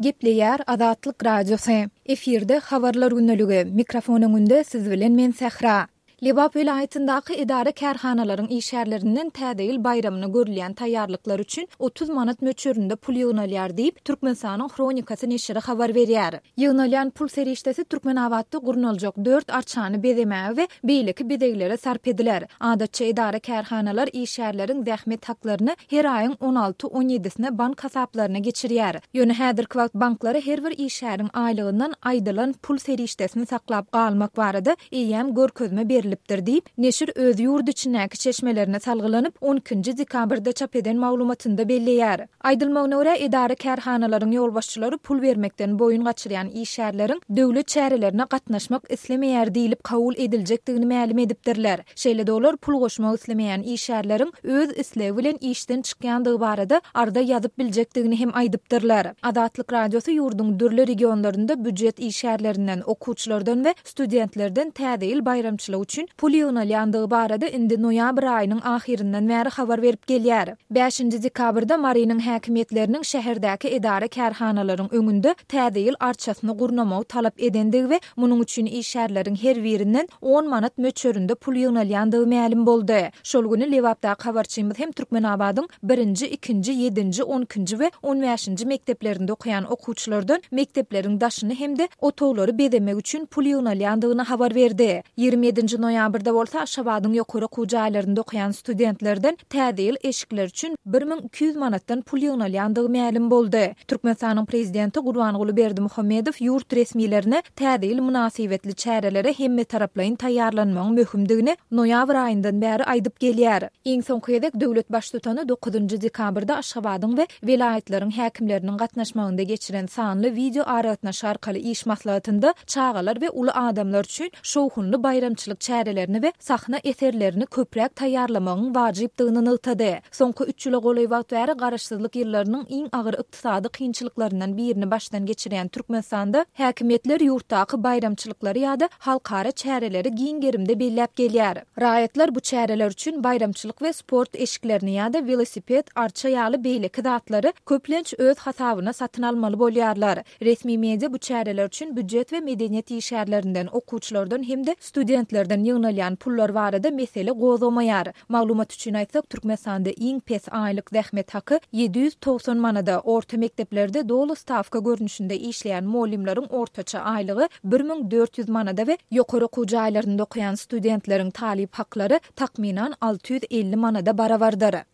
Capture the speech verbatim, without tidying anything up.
Gepleýär Azatlyk Radiosy. Efirde Habarlar gündeligi. Mikrofon öňünde siz bilen men Sähra. Lebap welaýatyndaky edara-kärhanalaryň işgärlerinden Täze ýyl baýramyna görülýän taýýarlyklar üçin otuz manat möçberinde pul ýygnalýar diýip, Türkmenistanyň Hronikasy neşiri habar berýär. Ýygnalýan pul serişdesi Türkmenabatda gurnaljak dört arçany bezemäge we beýleki bezeglere sarp ediler. Adatça edara-kärhanalar işgärleriň zähmet haklaryny her aýyň on alty-on ýedisine bank hasaplaryna geçirýär. Ýöne häzirki wagt banklara her bir işgäriň aýlygyndan aýdylan pul serişdesini saklap galmak barada eýýäm görkezme berilipdir diýip, neşir öz ýurt içindäki çeşmelerine salgylanyp, on ikinji dekabrda çap eden maglumatynda belleýär. Aýdylmagyna görä, edara-kärhanalaryň ýolbaşçylary pul bermekden boýun gaçyrýan işgärleriň döwlet çärelerine gatnaşmak islemeýär diýlip kabul ediljekdigini mälim edipdirler. Şeýle-de olar pul goşmak islemeýän işgärleriň öz islegi bilen işden çykýandygy barada arza ýazyp biljekdigini hem aýdypdyrlar. Azatlyk Radiosy ýurduň dürli regionlarynda býujet işgärlerinden, okuwçylardan we studentlerden Täze ýyl baýramçylygy üçin pul ýygnalýandygy barada indi noýabr aýynyň ahyryndan bäri habar berip gelýär. Bäşinji dekabrda Marynyň häkimiýetleriniň şäherdäki edara-kärhanalaryň öňünde Täze ýyl arçasyny gurnamagy talap edendigi we munuň üçin işgärleriň her birinden on manat möçberinde pul ýygnalýandygy mälim boldy. Şol güni Lebapdaky habarçymyz hem Türkmenabadyň birinji, ikinji, ýedinji, on ikinji we on bäşinji mekdeplerinde okaýan okuwçylardan mekdepleriň daşyny hem-de otaglary bezemek üçin pul ýygnalýandygyny habar berdi. Ýigrimi ýedinji noýabrda bolsa Aşgabadyň ýokary okuw jaýlarynda okaýan studentlerden Täze ýyl eşikleri üçin bir müň iki ýüz manatdan pul ýygnalýandygy mälim boldy. Türkmenistanyň Prezidenti Gurbanguly Berdimuhamedow ýurt resmilerine Täze ýyl mynasybetli çärelere hemmetaraplaýyn taýýarlanmagyň möhümdigini noýabr aýyndan bäri aýdyp gelýär. Iň soňky gezek döwlet Baştutany dokuzynjy dekabrda Aşgabadyň we welaýatlaryň häkimleriniň gatnaşmagynda geçiren sanly wideoaragatnaşyk arkaly iş maslahatynda çagalar we uly adamlar üçin şowhunly baýramçylyk çärelerini we sahna eserlerini köpräk taýýarlamagyň wajypdygyny nygtady. Soňky üç ýyla golaý wagt bäri Garaşsyzlyk ýyllarynyň iň agyr ykdysady kynçylyklaryndan birini başdan geçirýän Türkmenistanda häkimiýetler ýurtdaky baýramçylyklary ýa-da halkara çäreleri giň gerimde belläp gelýär. Raýatlar bu çäreler üçin baýramçylyk we sport eşiklerini ýa-da welosiped, arça ýaly beýleki zatlary köplenç öz hasabyna satyn almaly bolýarlar. Resmi media bu çäreler üçin býujet we medeniýet işgärlerinden, okuwçylardan hem-de studentlerden ýygnalýan pullar barada mesele gozgamaýar. Maglumat üçin aýtsak, Türkmenistanda iň pes aýlyk zähmet haky ýedi ýüz togsan manada, orta mekdeplerde doly stawka görnüşinde işleýän mugallymlaryň ortaça aýlygy bir müň dört ýüz manada we ýokary okuw jaýlarynda okaýan studentleriň talyp haklary takmynan alty ýüz elli manada barabardyr.